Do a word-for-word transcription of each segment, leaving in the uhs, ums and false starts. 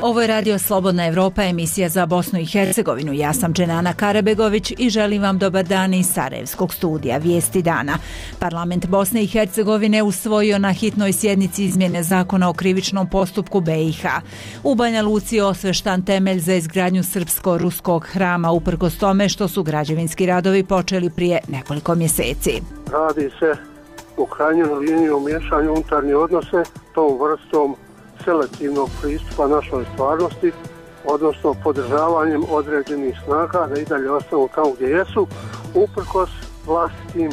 Ovo je Radio Slobodna Evropa, emisija za Bosnu i Hercegovinu. Ja sam Dženana Karabegović i želim vam dobar dan iz Sarajevskog studija Vijesti dana. Parlament Bosne i Hercegovine usvojio na hitnoj sjednici izmjene zakona o krivičnom postupku be i ha. U Banja Luci je osveštan temelj za izgradnju srpsko-ruskog hrama, uprkos tome što su građevinski radovi počeli prije nekoliko mjeseci. Radi se u krajnjoj liniji o miješanju unutarnje odnose tom vrstom selektivnog pristupa našoj stvarnosti, odnosno podržavanjem određenih snaga da i dalje ostanu tamo gdje jesu, uprkos vlastitim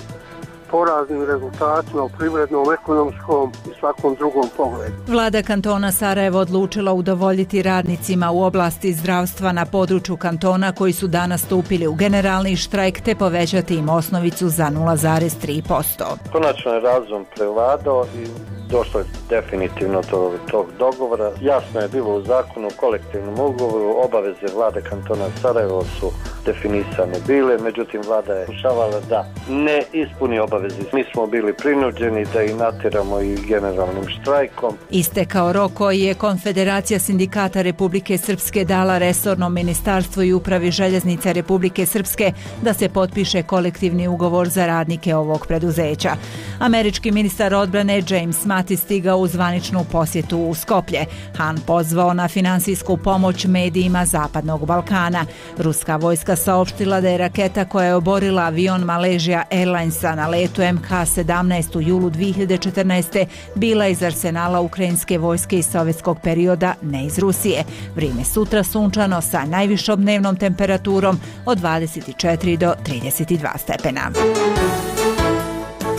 poraznim rezultatima u privrednom, ekonomskom i svakom drugom pogledu. Vlada kantona Sarajevo odlučila udovoljiti radnicima u oblasti zdravstva na području kantona koji su danas stupili u generalni štrajk te povećati im osnovicu za nula zarez tri posto. Konačno je razum prevladao i došlo je definitivno do tog dogovora. Jasno je bilo u zakonu o kolektivnom ugovoru, obaveze vlade kantona Sarajevo su definisane bile, međutim vlada je pokušavala da ne ispuni obaveze. Mi smo bili prinuđeni da ih natjeramo i generalnim štrajkom. Istekao rok koji je Konfederacija sindikata Republike Srpske dala resornom ministarstvu i upravi željeznica Republike Srpske da se potpiše kolektivni ugovor za radnike ovog preduzeća. Američki ministar odbrane James Mattis stigao u zvaničnu posjetu u Skoplje. Han pozvao na finansijsku pomoć medijima Zapadnog Balkana. Ruska vojska saopštila da je raketa koja je oborila avion Malaysia Airlinesa na letu em ha sedamnaest u julu dvije hiljade četrnaeste. bila iz arsenala ukrajinske vojske iz sovjetskog perioda, ne iz Rusije. Vrijeme sutra sunčano sa najvišom dnevnom temperaturom od dvadeset četiri do trideset dva stepena.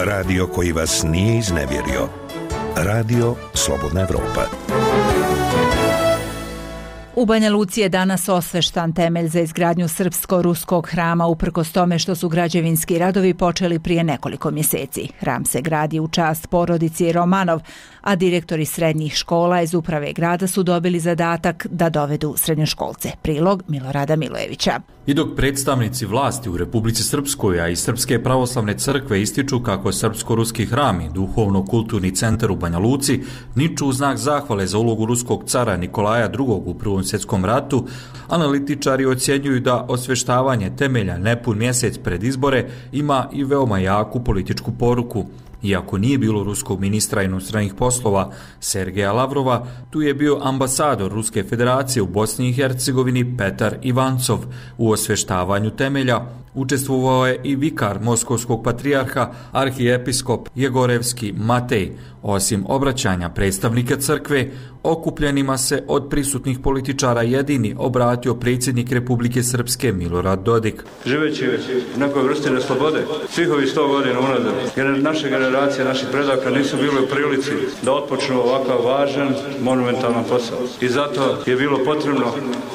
Radio koji vas nije iznevjerio. Radio Slobodna Evropa. U Banja Luci je danas osveštan temelj za izgradnju srpsko-ruskog hrama, uprkos tome što su građevinski radovi počeli prije nekoliko mjeseci. Hram se gradi u čast porodici Romanov, a direktori srednjih škola iz uprave grada su dobili zadatak da dovedu srednjoškolce. Prilog Milorada Milojevića. I dok predstavnici vlasti u Republici Srpskoj, a i Srpske pravoslavne crkve ističu kako je srpsko-ruski hram i duhovno-kulturni centar u Banja Luci niču u znak zahvale za ulogu ruskog cara Nikolaja drugog u Prvom svjetskom ratu, analitičari ocjenjuju da osvještavanje temelja nepun mjesec pred izbore ima i veoma jaku političku poruku. Iako nije bilo ruskog ministra inostranih poslova Sergeja Lavrova, tu je bio ambasador Ruske federacije u Bosni i Hercegovini Petar Ivancov. U osvještavanju temelja učestvovao je i vikar moskovskog patrijarha, arhijepiskop Jegorevski Matej. Osim obraćanja predstavnika crkve, okupljenima se od prisutnih političara jedini obratio predsjednik Republike Srpske Milorad Dodik. Živeći u nekoj vrsti neslobode, svih ovih sto godina unazad, naše generacije, naših predaka nisu bile u prilici da otpočnu ovakav važan, monumentalan posao. I zato je bilo potrebno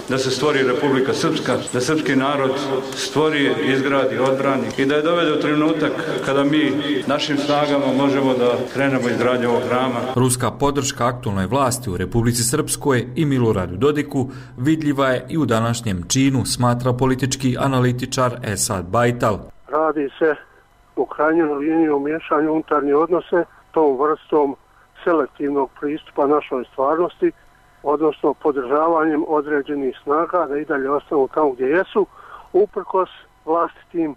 da se stvori Republika Srpska, da srpski narod stvori, izgradi, odbrani i da je dovede u trenutak kada mi našim snagama možemo da krenemo izgradnju ovog hrama. Ruska podrška aktualnoj vlasti u Republici Srpskoj i Miloradu Dodiku vidljiva je i u današnjem činu, smatra politički analitičar Esad Bajtal. Radi se u krajnjoj liniji o miješanju unutarnje odnose tom vrstom selektivnog pristupa našoj stvarnosti, odnosno podržavanjem određenih snaga da i dalje ostanu tamo gdje jesu, uprkos vlastitim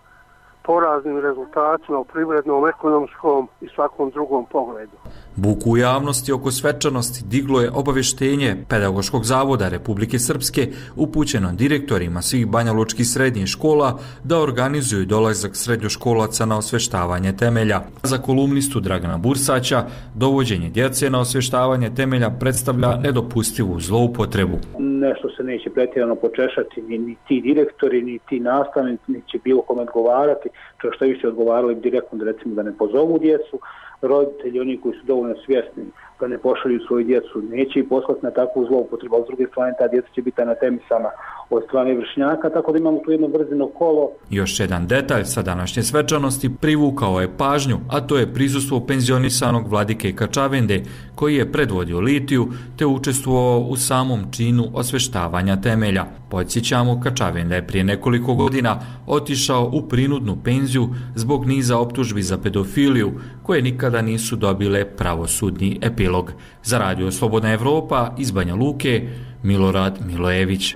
poraznim rezultatima u privrednom, ekonomskom i svakom drugom pogledu. Buku u javnosti oko svečanosti diglo je obavještenje Pedagoškog zavoda Republike Srpske upućeno direktorima svih banjalučkih srednjih škola da organizuju dolazak srednjoškolaca na osveštavanje temelja. Za kolumnistu Dragana Bursaća, dovođenje djece na osveštavanje temelja predstavlja nedopustivu zloupotrebu. Nešto se neće pretjerano počešati, ni, ni ti direktori, ni ti nastavnici, ni će bilo kome odgovarati, čak što više odgovarali direktno da recimo da ne pozovu djecu, roditelji, oni koji su dovoljno svjesni da ne pošalju svoju djecu, neće ih poslati na takvu zloupotrebu, a s druge strane ta djeca će biti anatemisana od strane vršnjaka, tako da imamo tu jedno vrzino kolo. Još jedan detalj sa današnje svečanosti privukao je pažnju, a to je prisustvo penzionisanog vladike Kačavende, koji je predvodio litiju te učestvovao u samom činu osveštavanja temelja. Podsjećamo, Kačavenda je prije nekoliko godina otišao u prinudnu penziju zbog niza optužbi za pedofiliju, koje nikada nisu dobile pravosudni epilog. Za Radio Slobodna Evropa iz Banja Luke, Milorad Milojević.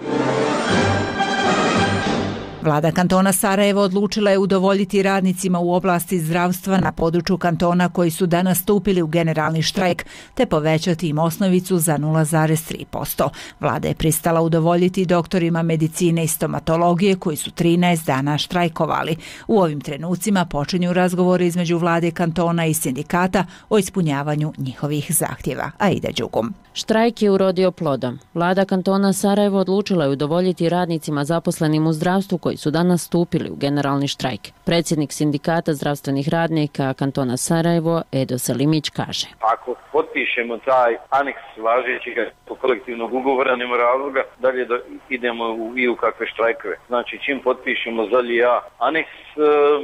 Vlada kantona Sarajevo odlučila je udovoljiti radnicima u oblasti zdravstva na području kantona koji su danas stupili u generalni štrajk, te povećati im osnovicu za nula zarez tri posto. Vlada je pristala udovoljiti doktorima medicine i stomatologije koji su trinaest dana štrajkovali. U ovim trenucima počinju razgovori između vlade kantona i sindikata o ispunjavanju njihovih zahtjeva. Aida Đugum. Štrajk je urodio plodom. Vlada kantona Sarajevo odlučila je udovoljiti radnicima zaposlenim u zdravstvu koji su danas stupili u generalni štrajk. Predsjednik sindikata zdravstvenih radnika kantona Sarajevo, Edo Selimić, kaže: Ako potpišemo taj aneks važećeg kolektivnog ugovora, nema razloga dalje da idemo u, i u kakve štrajkove. Znači, čim potpišemo zalje ja aneks,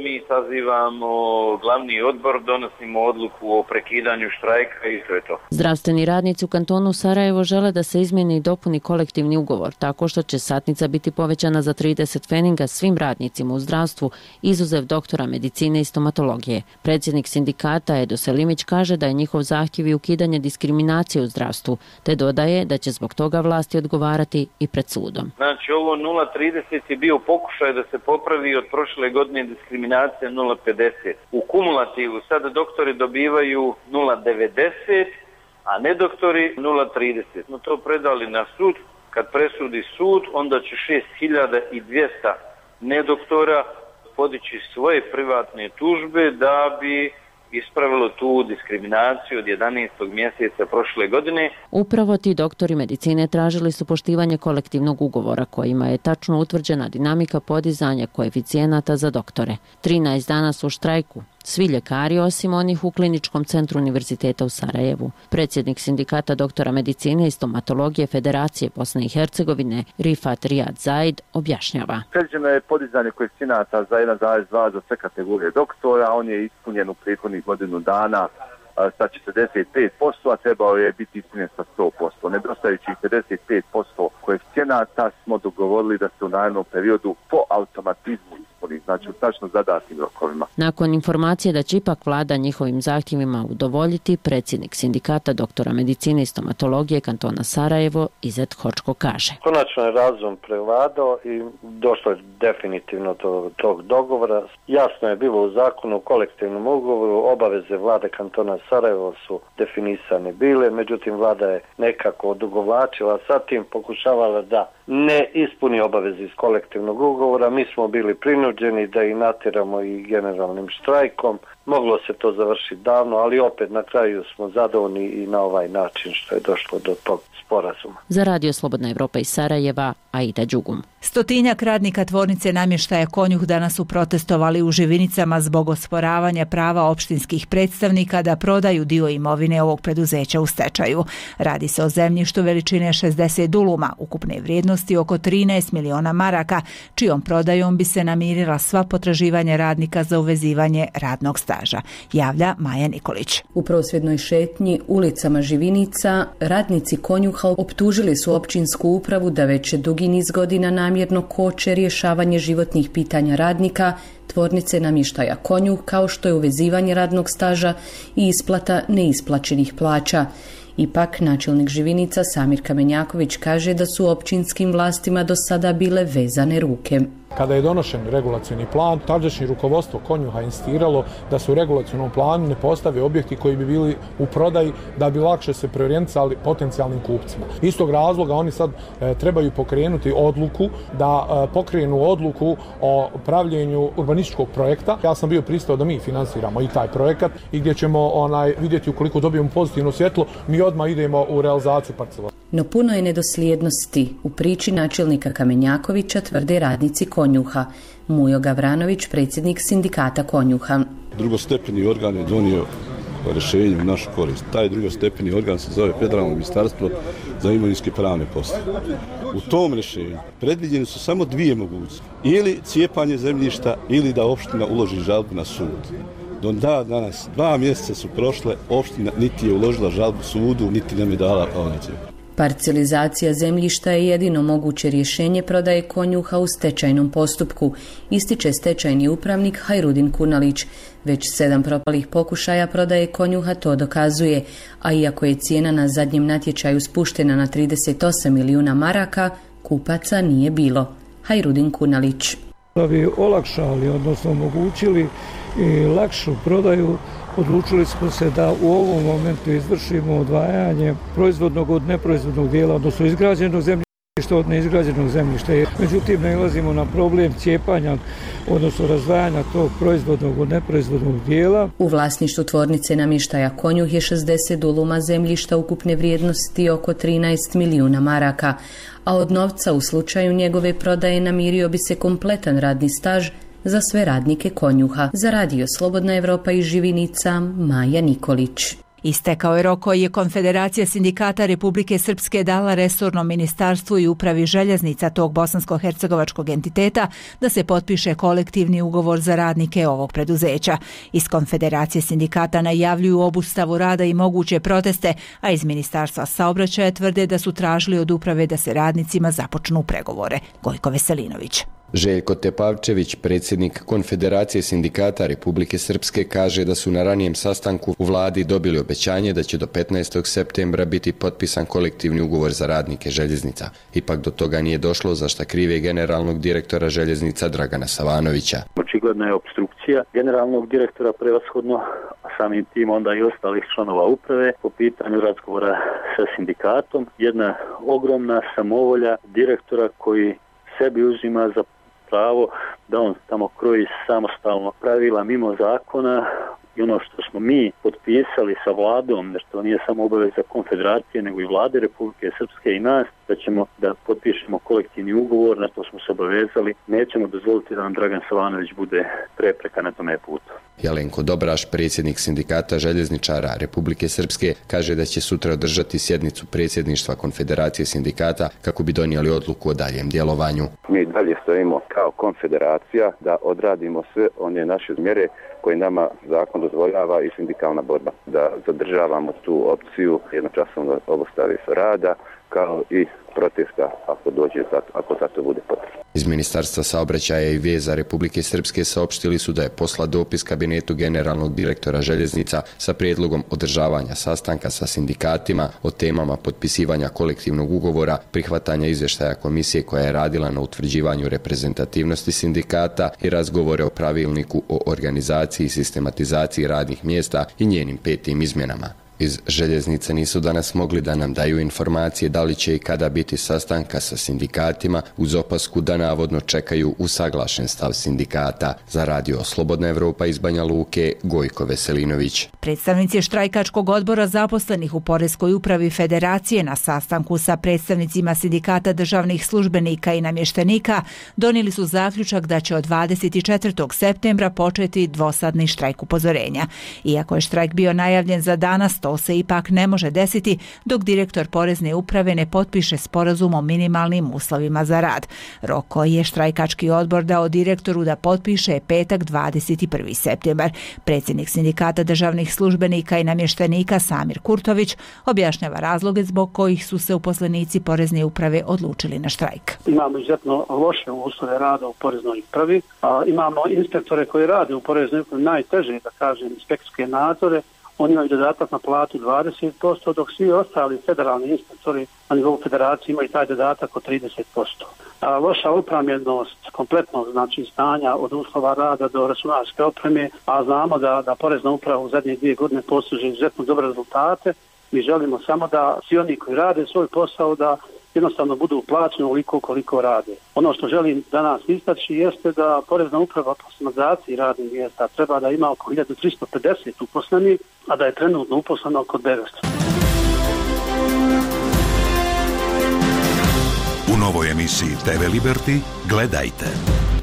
mi sazivamo glavni odbor, donosimo odluku o prekidanju štrajka i to je to. Zdravstveni radnici u kantonu Sarajevo žele da se izmijeni i dopuni kolektivni ugovor, tako što će satnica biti povećana za trideset feninga svim radnicima u zdravstvu, izuzev doktora medicine i stomatologije. Predsjednik sindikata Edo Selimić kaže da je njihov zahtjev i ukidanje diskriminacije u zdravstvu, te dodaje da će zbog toga vlasti odgovarati i pred sudom. Znači, ovo nula zarez trideset je bio pokušaj da se popravi od prošle godine diskriminacija nula zarez pedeset. U kumulativu sada doktori dobivaju nula zarez devedeset, a ne doktori nula zarez trideset. No to predali na sud. Kad presudi sud, onda će šest hiljada dvjesto nedoktora podići svoje privatne tužbe da bi ispravilo tu diskriminaciju od jedanaestog mjeseca prošle godine. Upravo ti doktori medicine tražili su poštivanje kolektivnog ugovora kojima je tačno utvrđena dinamika podizanja koeficijenata za doktore. trinaest dana su u štrajku. Svi ljekari osim onih u Kliničkom centru Univerziteta u Sarajevu. Predsjednik sindikata doktora medicine i stomatologije Federacije Bosne i Hercegovine Rifat Rijad Zaid objašnjava. Predviđeno je podizanje koeficijenata za jedan zarez dva za sve kategorije doktora, on je ispunjen u prethodnih godinu dana sa četrdeset pet posto, a trebao je biti ispunjen sa sto posto. Nedostajućih pedeset pet posto koeficijenata smo dogovorili da se u narednom periodu po automatizmu ispuni, znači u tačno zadatim rokovima. Nakon informacije da će ipak vlada njihovim zahtjevima udovoljiti, predsjednik sindikata doktora medicine i stomatologije kantona Sarajevo Izet Hočko kaže: Konačno je razum prevladao i došlo je definitivno do tog dogovora. Jasno je bilo u zakonu o kolektivnom ugovoru, obaveze vlade kantona Sarajevo su definisane bile, međutim vlada je nekako odugovlačila, sa tim pokušavala da ne ispuni obaveze iz kolektivnog ugovora. Mi smo bili prinuđeni da ih natjeramo i generalnim štrajkom. Moglo se to završiti davno, ali opet na kraju smo zadovoljni i na ovaj način što je došlo do tog sporazuma. Za Radio Slobodna Evropa iz Sarajeva, Aida Đugum. Stotinjak radnika tvornice namještaja Konjuh danas su protestovali u Živinicama zbog osporavanja prava opštinskih predstavnika da prodaju dio imovine ovog preduzeća u stečaju. Radi se o zemljištu veličine šezdeset duluma, ukupne vrijednosti oko trinaest miliona maraka, čijom prodajom bi se namirila sva potraživanja radnika za uvezivanje radnog staža, javlja Maja Nikolić. U prosvjednoj šetnji ulicama Živinica radnici Konjuha optužili su općinsku upravu da već dugi niz godina namjerno koče rješavanje životnih pitanja radnika tvornice namještaja Konjuh, kao što je uvezivanje radnog staža i isplata neisplaćenih plaća. Ipak, načelnik Živinica Samir Kamenjaković kaže da su općinskim vlastima do sada bile vezane ruke. Kada je donošen regulacioni plan, tadašnje rukovodstvo Konjuha insistiralo da se u regulacionom planu ne postave objekti koji bi bili u prodaji da bi lakše se preorijentisali potencijalnim kupcima. Iz tog razloga oni sad e, trebaju pokrenuti odluku da e, pokrenu odluku o pravljenju urbanističkog projekta. Ja sam bio pristao da mi finansiramo i taj projekat i gdje ćemo onaj vidjeti ukoliko dobijemo pozitivno svjetlo, mi odmah idemo u realizaciju parcela. No puno je nedosljednosti u priči načelnika Kamenjakovića, tvrde radnici Konjuha. Mujo Gavranović, predsjednik sindikata Konjuha. Drugostepeni organ je donio rješenje u našu korist. Taj drugostepeni organ se zove Federalno ministarstvo za imovinske pravne poslove. U tom rješenju predviđene su samo dvije mogućnosti. Ili cijepanje zemljišta ili da opština uloži žalbu na sud. Do da danas, dva mjeseca su prošle, opština niti je uložila žalbu sudu, niti nam je dala ponuđenje. Parcijalizacija zemljišta je jedino moguće rješenje prodaje konjuha u stečajnom postupku, ističe stečajni upravnik Hajrudin Kunalić. Već sedam propalih pokušaja prodaje konjuha to dokazuje, a iako je cijena na zadnjem natječaju spuštena na trideset osam milijuna maraka, kupaca nije bilo. Hajrudin Kunalić. Da bi olakšali, odnosno omogućili i lakšu prodaju, odlučili smo se da u ovom momentu izvršimo odvajanje proizvodnog od neproizvodnog dijela, odnosno izgrađenog zemljišta od neizgrađenog zemljišta. Međutim, nailazimo na problem cijepanja, odnosno razdvajanja tog proizvodnog od neproizvodnog dijela. U vlasništvu tvornice namještaja Konjuh je šezdeset duluma zemljišta ukupne vrijednosti oko trinaest milijuna maraka, a od novca u slučaju njegove prodaje namirio bi se kompletan radni staž za sve radnike Konjuha. Za Radio Slobodna Evropa iz Živinica, Maja Nikolić. Istekao je rok koji je Konfederacija sindikata Republike Srpske dala resornom ministarstvu i upravi željeznica tog bosansko-hercegovačkog entiteta da se potpiše kolektivni ugovor za radnike ovog preduzeća. Iz Konfederacije sindikata najavljuju obustavu rada i moguće proteste, a iz Ministarstva saobraćaja tvrde da su tražili od uprave da se radnicima započnu pregovore. Gojko Veselinović. Željko Tepavčević, predsjednik Konfederacije sindikata Republike Srpske, kaže da su na ranijem sastanku u vladi dobili obećanje da će do petnaestog septembra biti potpisan kolektivni ugovor za radnike željeznica. Ipak do toga nije došlo, za šta krive generalnog direktora željeznica Dragana Savanovića. Očigledna je opstrukcija generalnog direktora prevashodno, a samim tim onda i ostalih članova uprave po pitanju razgovora sa sindikatom. Jedna ogromna samovolja direktora koji sebi uzima za pravo da on tamo kroji samostalno pravila mimo zakona i ono što smo mi potpisali sa vladom, da što nije samo obaveza Konfederacije nego i vlade Republike Srpske i nas, da ćemo da potpišemo kolektivni ugovor, na to smo se obavezali, nećemo dozvoliti da nam Dragan Savanović bude prepreka na tome putu. Jelenko Dobraš, predsjednik sindikata željezničara Republike Srpske, kaže da će sutra održati sjednicu predsjedništva Konfederacije sindikata kako bi donijeli odluku o daljem djelovanju. Mi dalje stojimo kao konfederacija da odradimo sve one naše mjere koje nama zakon dozvoljava i sindikalna borba. Da zadržavamo tu opciju jednočasno obustave rada kao i protesta ako dođe, ako za to bude potrebno. Iz Ministarstva saobraćaja i veza Republike Srpske saopštili su da je poslat dopis kabinetu generalnog direktora željeznica sa prijedlogom održavanja sastanka sa sindikatima o temama potpisivanja kolektivnog ugovora, prihvatanja izvještaja komisije koja je radila na utvrđivanju reprezentativnosti sindikata i razgovore o pravilniku o organizaciji i sistematizaciji radnih mjesta i njenim petim izmjenama. Iz željeznice nisu danas mogli da nam daju informacije da li će i kada biti sastanka sa sindikatima, uz opasku da navodno čekaju usaglašen stav sindikata. Za Radio Slobodna Evropa iz Banja Luke, Gojko Veselinović. Predstavnici štrajkačkog odbora zaposlenih u Poreskoj upravi Federacije na sastanku sa predstavnicima sindikata državnih službenika i namještenika donijeli su zaključak da će od dvadeset četvrtog septembra početi dvosadni štrajk upozorenja. Iako je štrajk bio najavljen za danas, to se ipak ne može desiti dok direktor Porezne uprave ne potpiše sporazum o minimalnim uslovima za rad. Rok koji je štrajkački odbor dao direktoru da potpiše je petak dvadeset prvi septembar. Predsjednik sindikata državnih službenika i namještenika Samir Kurtović objašnjava razloge zbog kojih su se uposlenici Porezne uprave odlučili na štrajk. Imamo izuzetno loše uslove rada u Poreznoj upravi, a imamo inspektore koji rade u Poreznoj upravi najteže, da kažem, inspekcijske nadzore. Oni imaju dodatak na platu dvadeset posto, dok svi ostali federalni inspektori na nivou federacije imaju taj dodatak od trideset posto. A loša upravljenost kompletnog znači stanja od uslova rada do računarske opreme, a znamo da, da Porezna uprava u zadnje dvije godine postiže izuzetno dobre rezultate. Mi želimo samo da svi oni koji rade svoj posao da jednostavno budu plaćeni ovoliko koliko rade. Ono što želim danas istaći jeste da Porezna uprava po sistematizaciji radnih mjesta treba da ima oko hiljadu tristo pedeset uposlenih, a da je trenutno uposleno oko devetsto. U novoj emisiji T V Liberty gledajte.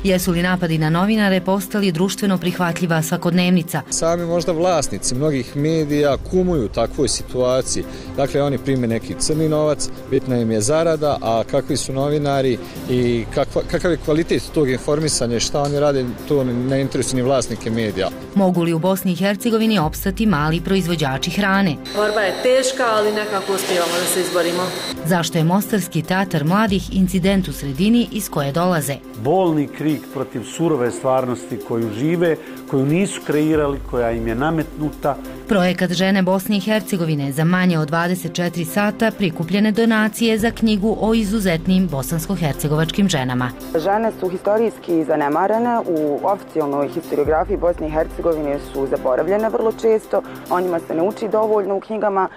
Jesu li napadi na novinare postali društveno prihvatljiva svakodnevnica? Sami možda vlasnici mnogih medija kumuju u takvoj situaciji. Dakle, oni prime neki crni novac, bitna im je zarada, a kakvi su novinari i kakva, kakav je kvalitet tog informisanja, šta oni rade, to ne interesuje ni vlasnike medija. Mogu li u Bosni i Hercegovini opstati mali proizvođači hrane? Borba je teška, ali nekako uspijevamo da se izborimo. Zašto je mostarski teatar mladih incident u sredini iz koje dolaze? Bolni krik protiv surove stvarnosti koju žive, koju nisu kreirali, koja im je nametnuta. Projekat Žene Bosne i Hercegovine za manje od dvadeset četiri sata prikupljene donacije za knjigu o izuzetnim bosansko-hercegovačkim ženama. Žene su historijski zanemarene, u oficijalnoj historiografiji Bosne i Hercegovine su zaboravljene vrlo često, o njima se ne uči dovoljno u knjigama.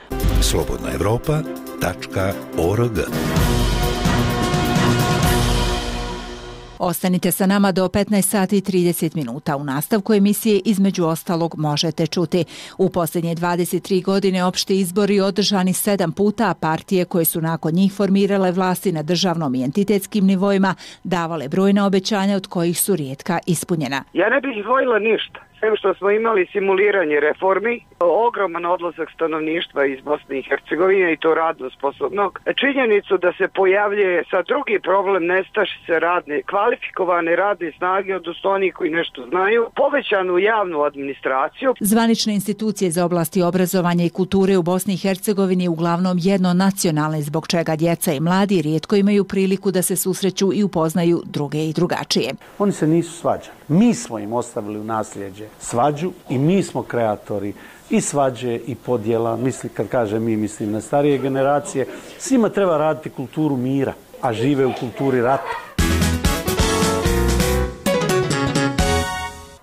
slobodna evropa tačka org. Ostanite sa nama do petnaest sati i trideset minuta. U nastavku emisije između ostalog možete čuti. U posljednje dvadeset tri godine opšti izbori održani sedam puta, a partije koje su nakon njih formirale vlasti na državnom i entitetskim nivoima davale brojna obećanja od kojih su rijetka ispunjena. Ja ne bih izdvojila ništa. Sve što smo imali simuliranje reformi, ogroman odlazak stanovništva iz Bosne i Hercegovine i to radno sposobnog. Činjenicu da se pojavljuje sa drugi problem nestašice radne, kvalifikovane radne snage, odnosno oni koji nešto znaju, povećanu javnu administraciju. Zvanične institucije za oblasti obrazovanja i kulture u Bosni i Hercegovini uglavnom jedno nacionalne, zbog čega djeca i mladi rijetko imaju priliku da se susreću i upoznaju druge i drugačije. Oni se nisu svađali. Mi smo im ostavili u nasljeđe svađu i mi smo kreatori i svađe i podjela. Mislim, kad kažem mi, mislim na starije generacije. Svima treba raditi kulturu mira, a žive u kulturi rata.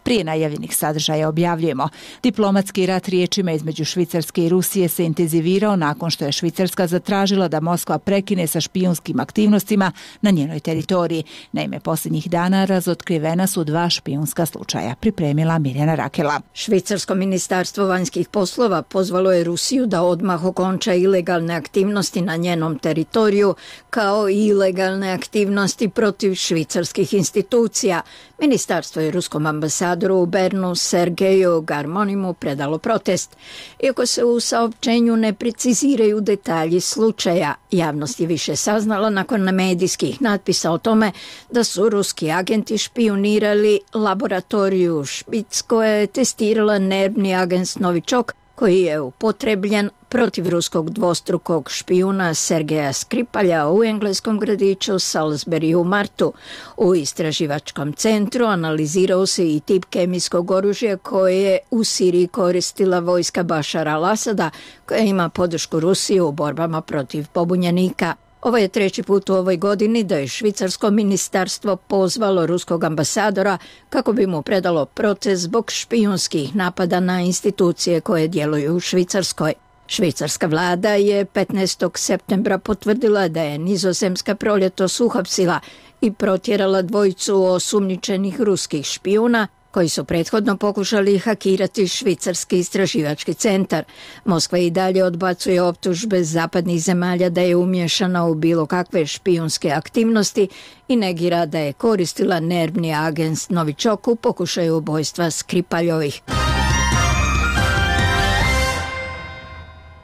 Prije najavljenih sadržaja objavljujemo. Diplomatski rat riječima između Švicarske i Rusije se intenzivirao nakon što je Švicarska zatražila da Moskva prekine sa špijunskim aktivnostima na njenoj teritoriji. Naime, posljednjih dana razotkrivena su dva špijunska slučaja, pripremila Mirjana Rakela. Švicarsko ministarstvo vanjskih poslova pozvalo je Rusiju da odmah okonča ilegalne aktivnosti na njenom teritoriju, kao i ilegalne aktivnosti protiv švicarskih institucija. Ministarstvo je ruskom ambasadoru u Bernu Sergeju Garmonimu predalo protest. Iako se u saopćenju ne preciziraju detalji slučaja, javnost je više saznala nakon medijskih natpisa o tome da su ruski agenti špijunirali laboratoriju Špic koja je testirala nervni agens Novičok koji je upotrebljen protiv ruskog dvostrukog špijuna Sergeja Skripalja u engleskom gradiću Salisbury u martu. U istraživačkom centru analizirao se i tip kemijskog oružja koje je u Siriji koristila vojska Bašara al-Asada, koja ima podršku Rusije u borbama protiv pobunjenika. Ovo je treći put u ovoj godini da je švicarsko ministarstvo pozvalo ruskog ambasadora kako bi mu predalo protest zbog špijunskih napada na institucije koje djeluju u Švicarskoj. Švicarska vlada je petnaestog septembra potvrdila da je Nizozemska proljetos uhapsila i protjerala dvojicu osumnjičenih ruskih špijuna koji su prethodno pokušali hakirati švicarski istraživački centar. Moskva i dalje odbacuje optužbe zapadnih zemalja da je umješana u bilo kakve špijunske aktivnosti i negira da je koristila nervni agens Novičok u pokušaju ubojstva Skripaljovih.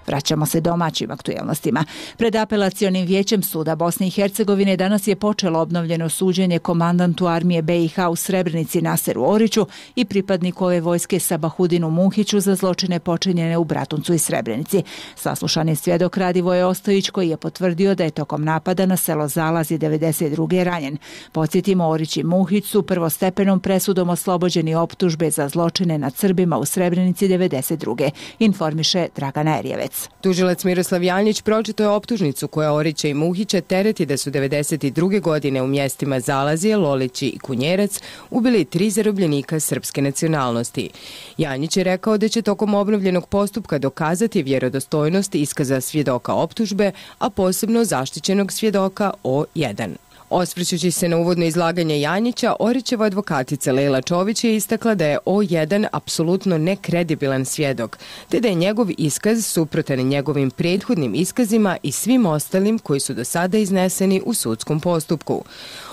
Vraćamo se domaćim aktuelnostima. Pred apelacionim vijećem suda Bosne i Hercegovine danas je počelo obnovljeno suđenje komandantu armije be i ha u Srebrenici Naseru Oriću i pripadniku ove vojske Sabahudinu Muhiću za zločine počinjene u Bratuncu i Srebrenici. Saslušan je svjedok Radivoje Ostojić koji je potvrdio da je tokom napada na selo Zalazi devedeset druge ranjen. Podsjetimo, Orić i Muhić su prvostepenom presudom oslobođeni optužbe za zločine nad Srbima u Srebrenici devedeset druge. Informiše Dragana Erjevec. Tužilac Miroslav Janjić pročitao je optužnicu koja Orića i Muhića tereti da su devedeset druge godine u mjestima Zalazije, Lolići i Kunjerac ubili tri zarobljenika srpske nacionalnosti. Janjić je rekao da će tokom obnovljenog postupka dokazati vjerodostojnost iskaza svjedoka optužbe, a posebno zaštićenog svjedoka O jedan. Osvrćući se na uvodno izlaganje Janjića, Orićeva advokatica Lejla Čović je istakla da je O jedan apsolutno nekredibilan svjedok, te da je njegov iskaz suprotan njegovim prethodnim iskazima i svim ostalim koji su do sada izneseni u sudskom postupku.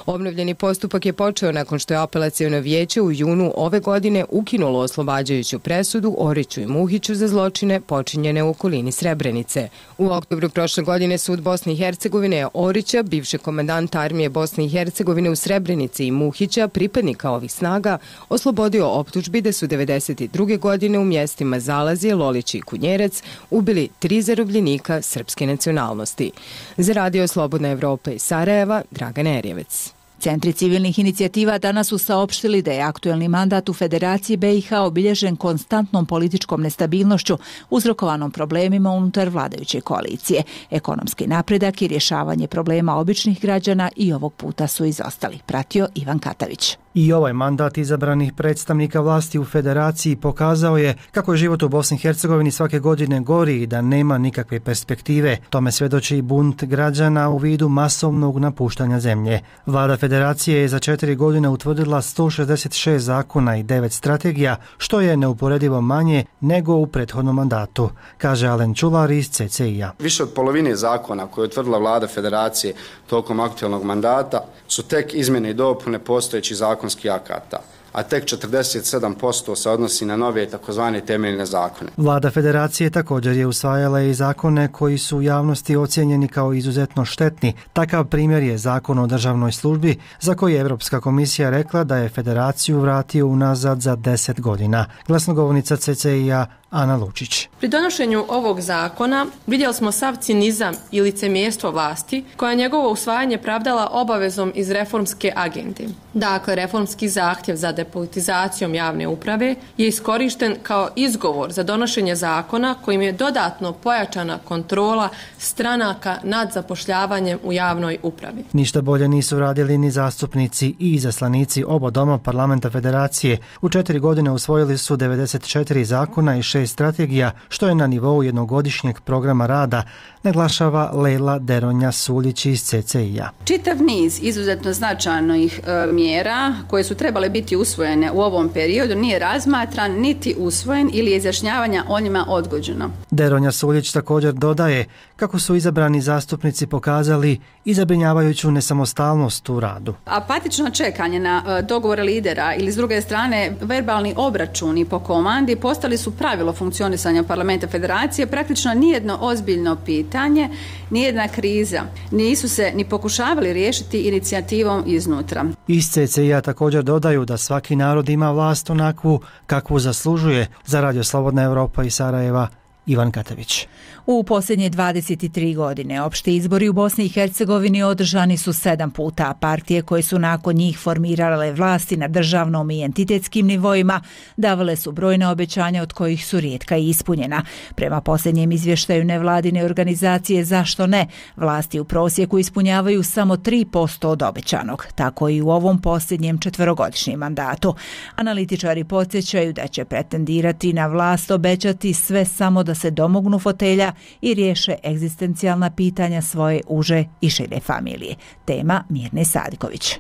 Obnovljeni postupak je počeo nakon što je apelaciono vijeće u junu ove godine ukinulo oslobađajuću presudu Oriću i Muhiću za zločine počinjene u okolini Srebrenice. U oktobru prošle godine sud Bosne i Hercegovine je Orića, bivšeg komandanta armije Bosne i Hercegovine u Srebrenici, i Muhića, pripadnika ovih snaga, oslobodio optužbi da su devedeset druge godine u mjestima Zalazije, Lolići i Kunjerac ubili tri zarobljenika srpske nacionalnosti. Za Radio Slobodna Evropa iz Sarajeva, Dragan Erjevec. Centri civilnih inicijativa danas su saopštili da je aktuelni mandat u Federaciji B i H obilježen konstantnom političkom nestabilnošću uzrokovanom problemima unutar vladajuće koalicije. Ekonomski napredak i rješavanje problema običnih građana i ovog puta su izostali. Pratio Ivan Katavić. I ovaj mandat izabranih predstavnika vlasti u Federaciji pokazao je kako je život u Bosni i Hercegovini svake godine gori i da nema nikakve perspektive. Tome svjedoči i bunt građana u vidu masovnog napuštanja zemlje. Vlada Federacije je za četiri godine utvrdila sto šezdeset šest zakona i devet strategija, što je neuporedivo manje nego u prethodnom mandatu, kaže Alen Čular iz C C I-a. Više od polovine zakona koje je utvrdila Vlada Federacije tokom aktualnog mandata su tek izmjene i dopune postojećih zakonskih akata, a tek četrdeset sedam posto se odnosi na nove takozvane temeljne zakone. Vlada Federacije također je usvajala i zakone koji su u javnosti ocijenjeni kao izuzetno štetni. Takav primjer je Zakon o državnoj službi, za koji je Europska komisija rekla da je Federaciju vratio unazad za deset godina. Glasnogovornica C C I-a Ana Lučić. Pri donošenju ovog zakona vidjeli smo sav cinizam i licemjerstvo vlasti, koja njegovo usvajanje pravdala obavezom iz reformske agende. Dakle, reformski zahtjev za depolitizacijom javne uprave je iskorišten kao izgovor za donošenje zakona kojim je dodatno pojačana kontrola stranaka nad zapošljavanjem u javnoj upravi. Ništa bolje nisu radili ni zastupnici i izaslanici oba doma parlamenta Federacije. U četiri godine usvojili su devedeset četiri zakona i šest strategija, što je na nivou jednogodišnjeg programa rada, naglašava Lejla Deronja Suljić iz C C I-a. Čitav niz izuzetno značajnih e, mjera koje su trebale biti usvojene u ovom periodu nije razmatran niti usvojen ili je izjašnjavanja o njima odgođeno. Deronja Suljić također dodaje kako su izabrani zastupnici pokazali i zabrinjavajuću nesamostalnost u radu. Apatično čekanje na e, dogovore lidera ili s druge strane verbalni obračuni po komandi postali su pravilo funkcionisanja parlamenta Federacije. Praktično nijedno ozbiljno pitanje, nijedna kriza nisu se ni pokušavali riješiti inicijativom iznutra. Iz C C I-a također dodaju da svaki narod ima vlast onakvu kakvu zaslužuje. Za Radio Slobodna Evropa iz Sarajeva, Ivan Katavić. U posljednje dvadeset tri godine opšti izbori u Bosni i Hercegovini održani su sedam puta. Partije koje su nakon njih formirale vlasti na državnom i entitetskim nivoima davale su brojna obećanja od kojih su rijetka i ispunjena. Prema posljednjem izvještaju nevladine organizacije Zašto ne, vlasti u prosjeku ispunjavaju samo tri posto od obećanog. Tako i u ovom posljednjem četverogodišnjem mandatu. Analitičari podsjećaju da će pretendirati na vlast obećati sve samo da se domognu fotelja i riješe egzistencijalna pitanja svoje uže i šire familije. Tema Mirne Sadiković.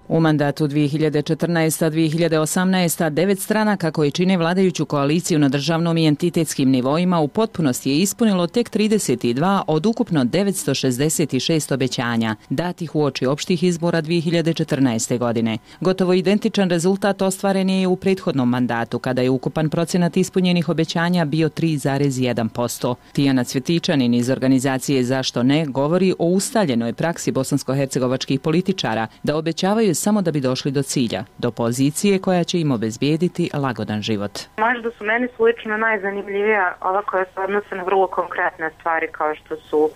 U mandatu dvije hiljade četrnaeste do dvije hiljade osamnaeste. devet stranaka koji čine vladajuću koaliciju na državnom i entitetskim nivoima u potpunosti je ispunilo tek trideset dva od ukupno devetsto šezdeset šest obećanja, datih uoči opštih izbora dvije hiljade četrnaeste. godine. Gotovo identičan rezultat ostvaren je u prethodnom mandatu, kada je ukupan procenat ispunjenih obećanja bio tri zarez jedan posto. Tijana Cvjetičanin iz organizacije Zašto ne govori o ustaljenoj praksi bosansko-hercegovačkih političara da obećavaju samo da bi došli do cilja, do pozicije koja će im obezbijediti lagodan život. Možda su meni slično najzanimljivija ova koja se odnose na vrlo konkretne stvari kao što su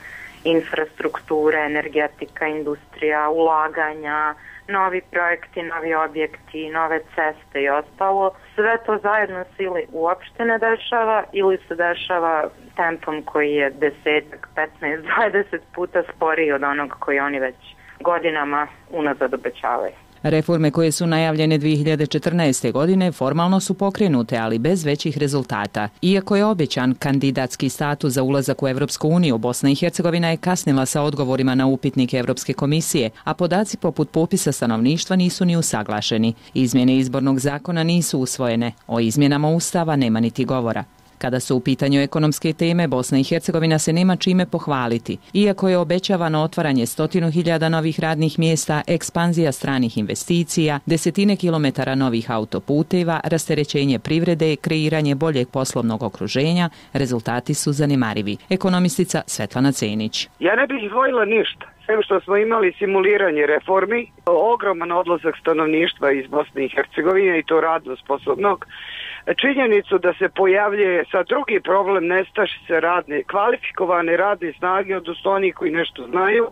infrastruktura, energetika, industrija, ulaganja, novi projekti, novi objekti, nove ceste i ostalo. Sve to zajedno se ili uopšte ne dešava ili se dešava tempom koji je desetak, petnaest, dvadeset puta sporiji od onog koji oni već godinama unazad obećavaju. Reforme koje su najavljene dvije hiljade četrnaeste. godine formalno su pokrenute, ali bez većih rezultata. Iako je obećan kandidatski status za ulazak u Evropsku uniju, Bosna i Hercegovina je kasnila sa odgovorima na upitnike Evropske komisije, a podaci poput popisa stanovništva nisu ni usaglašeni. Izmjene izbornog zakona nisu usvojene, o izmjenama Ustava nema niti govora. Kada su u pitanju ekonomske teme, Bosna i Hercegovina se nema čime pohvaliti. Iako je obećavano otvaranje stotinu hiljada novih radnih mjesta, ekspanzija stranih investicija, desetine kilometara novih autoputeva, rasterećenje privrede i kreiranje boljeg poslovnog okruženja, rezultati su zanemarivi. Ekonomistica Svetlana Cenić. Ja ne bih izdvojila ništa. Sve što smo imali simuliranje reformi, ogroman odlazak stanovništva iz Bosne i Hercegovine i to radno sposobnog, činjenicu da se pojavljuje sa drugi problem nestašice radne, kvalifikovane radne snage, odnosno onih koji nešto znaju,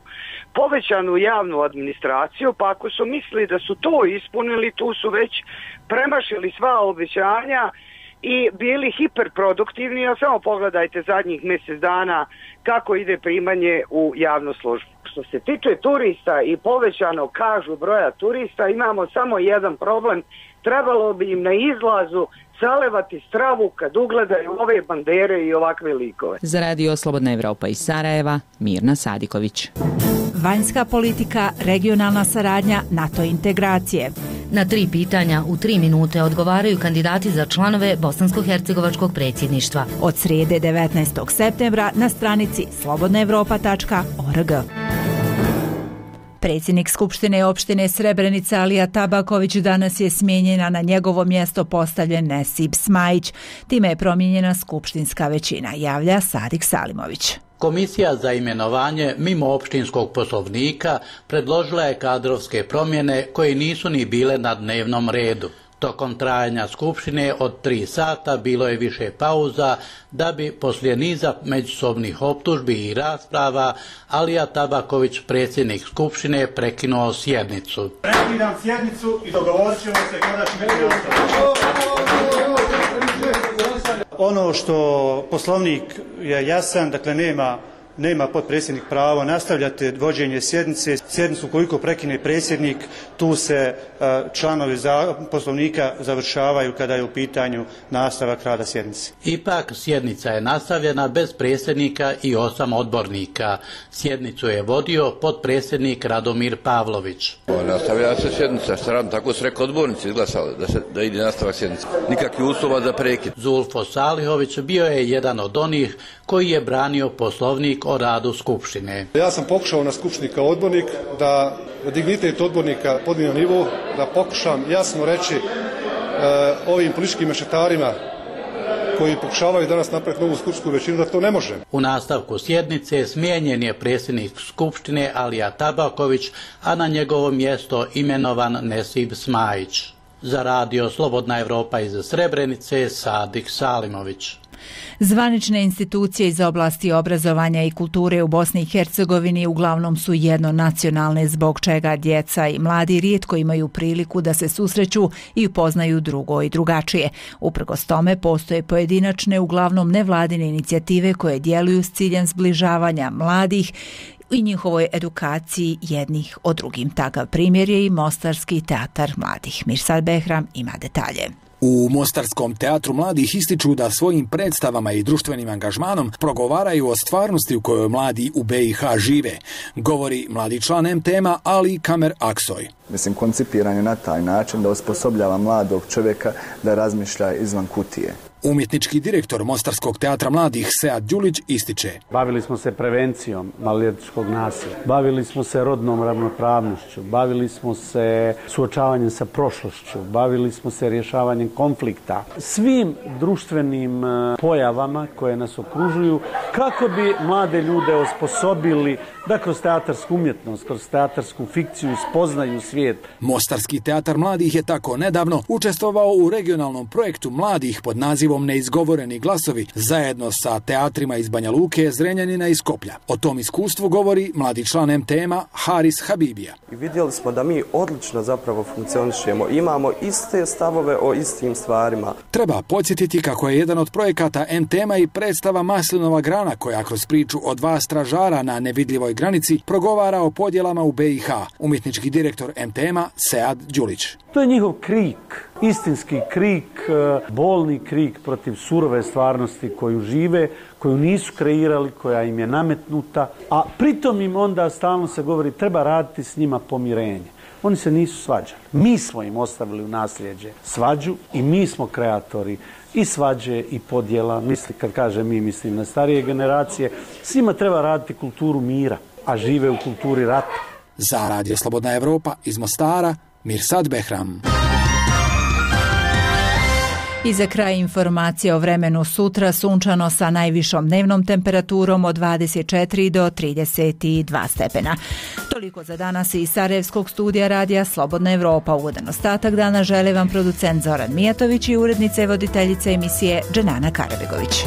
povećanu javnu administraciju, pa ako su mislili da su to ispunili, tu su već premašili sva obećanja i bili hiperproduktivni, a samo pogledajte zadnjih mjesec dana kako ide primanje u javnu službu. Što se tiče turista i povećano kažu broja turista, imamo samo jedan problem, trebalo bi im na izlazu zalevati stravu kad ugledaju ove bandere i ovakve likove. Za radio Slobodna Evropa iz Sarajeva, Mirna Sadiković. Vanjska politika, regionalna saradnja, NATO integracije. Na tri pitanja u tri minute odgovaraju kandidati za članove bosansko-hercegovačkog predsjedništva. Od srijede devetnaestog septembra na stranici slobodna evropa tačka org. Predsjednik Skupštine opštine Srebrenica Alija Tabaković danas je smijenjen, a na njegovo mjesto postavljen Nesib Smajić. Time je promijenjena skupštinska većina, javlja Sadik Salimović. Komisija za imenovanje mimo opštinskog poslovnika predložila je kadrovske promjene koje nisu ni bile na dnevnom redu. Tokom trajanja skupštine od tri sata bilo je više pauza da bi poslije niza međusobnih optužbi i rasprava Alija Tabaković, predsjednik skupštine, prekinuo sjednicu. Prekidam sjednicu i dogovorit ćemo se kada će biti ono što poslovnik je jasan, dakle nema Nema potpredsjednik pravo nastavljati vođenje sjednice. Sjednicu koliko prekine predsjednik, tu se članovi poslovnika završavaju kada je u pitanju nastavak rada sjednice. Ipak sjednica je nastavljena bez predsjednika i osam odbornika. Sjednicu je vodio potpredsjednik Radomir Pavlović. Nastavlja se sjednica, stran, tako su rekli odbornici izglasali da, se, da ide nastavak sjednice. Nikakvi uslova za prekid. Zulfo Salihović bio je jedan od onih koji je branio poslovnik o radu Skupštine. Ja sam pokušao na Skupštini kao odbornik da dignitet odbornika podignem nivo, da pokušam jasno reći e, ovim političkim mešetarima koji pokušavaju danas napraviti novu skupštinsku većinu da to ne može. U nastavku sjednice smijenjen je predsjednik Skupštine Alija Tabaković, a na njegovo mjesto imenovan Nesib Smajić. Za radio Slobodna Evropa iz Srebrenice, Sadik Salimović. Zvanične institucije iz oblasti obrazovanja i kulture u Bosni i Hercegovini uglavnom su jednonacionalne, zbog čega djeca i mladi rijetko imaju priliku da se susreću i upoznaju drugo i drugačije. Uprkos tome postoje pojedinačne, uglavnom nevladine inicijative koje djeluju s ciljem zbližavanja mladih i njihovoj edukaciji jednih o drugim. Takav primjer je i Mostarski teatar mladih. Mirsad Behram ima detalje. U Mostarskom teatru mladih ističu da svojim predstavama i društvenim angažmanom progovaraju o stvarnosti u kojoj mladi u B i H žive, govori mladi član M T M-a Ali Kamer Aksoj. Mislim, koncipiran je na taj način da osposobljava mladog čovjeka da razmišlja izvan kutije. Umjetnički direktor Mostarskog teatra mladih Sead Đulić ističe. Bavili smo se prevencijom maloljetničkog nasilja, bavili smo se rodnom ravnopravnošću, bavili smo se suočavanjem sa prošlošću, bavili smo se rješavanjem konflikta, svim društvenim pojavama koje nas okružuju, kako bi mlade ljude osposobili da kroz teatarsku umjetnost, kroz teatarsku fikciju spoznaju svijet. Mostarski teatar mladih je tako nedavno učestvovao u regionalnom projektu mladih pod nazivom Neizgovoreni glasovi zajedno sa teatrima iz Banja Luke, Zrenjanina i Skoplja. O tom iskustvu govori mladi član M T M-a Haris Habibija. I vidjeli smo da mi odlično zapravo funkcionišemo, imamo iste stavove o istim stvarima. Treba podsjetiti kako je jedan od projekata M T M-a i predstava Maslinova grana koja kroz priču o dva stražara na nevidljivoj granici progovara o podjelama u B i H. Umjetnički direktor M T M-a Sead Đulić. To je njihov krik, istinski krik, bolni krik protiv surove stvarnosti koju žive, koju nisu kreirali, koja im je nametnuta, a pritom im onda stalno se govori treba raditi s njima pomirenje. Oni se nisu svađali. Mi smo im ostavili u nasljeđe svađu i mi smo kreatori i svađe i podjela. Misli, kad kažem mi, mislim na starije generacije. Svima treba raditi kulturu mira, a žive u kulturi rata. Za Radio Slobodna Evropa iz Mostara, Mirsad Behram. I za kraj informacije o vremenu sutra, sunčano sa najvišom dnevnom temperaturom od dvadeset četiri do trideset dva stepena. Toliko za danas iz Sarajevskog studija radija Slobodna Evropa. Ugodan ostatak dana žele vam producent Zoran Mijatović i urednica i voditeljica emisije Dženana Karabegović.